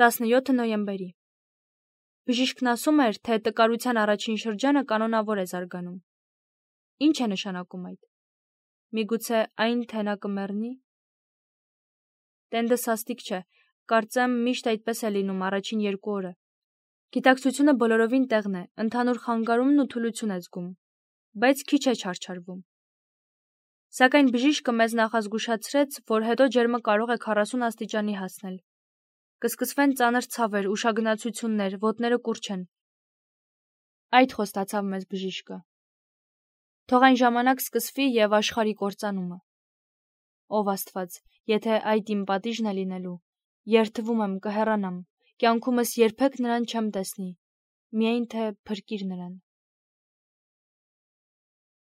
17 նոյեմբերի։ Բժիշկն ասում էր, թե տկարության առաջին շրջանը կանոնավոր է զարգանում։ Ինչ է նշանակում այդ։ Միգուցե այն, թե նա կմեռնի։ Տենդը սաստիկ չէ, կարծեմ միշտ այդպես է լինում առաջին 2 օրը։ Գիտակցությունը բոլորովին տեղն է, ընդհանուր խանգարումն ու թուլություն է զգում, բայց քիչ է չարչարվում։ Սակայն բժիշկը մեզ նախազգուշացրեց, որ հետո ջերմը կարող է 40 աստիճանի հասնել։ Կսկսվեն ծանր ցավեր, ուշագնացություններ, ոտները կուռ չեն։ Այդ խոստացավ մեզ բժիշկը։ Թող այն ժամանակ սկսվի եւ աշխարհի կործանումը։ Ով Աստված, եթե այդ իմ պատիժն է լինելու, երդվում եմ կհեռանամ, կյանքումս երբեք նրան չեմ տեսնի, միայն թե փրկիր նրան։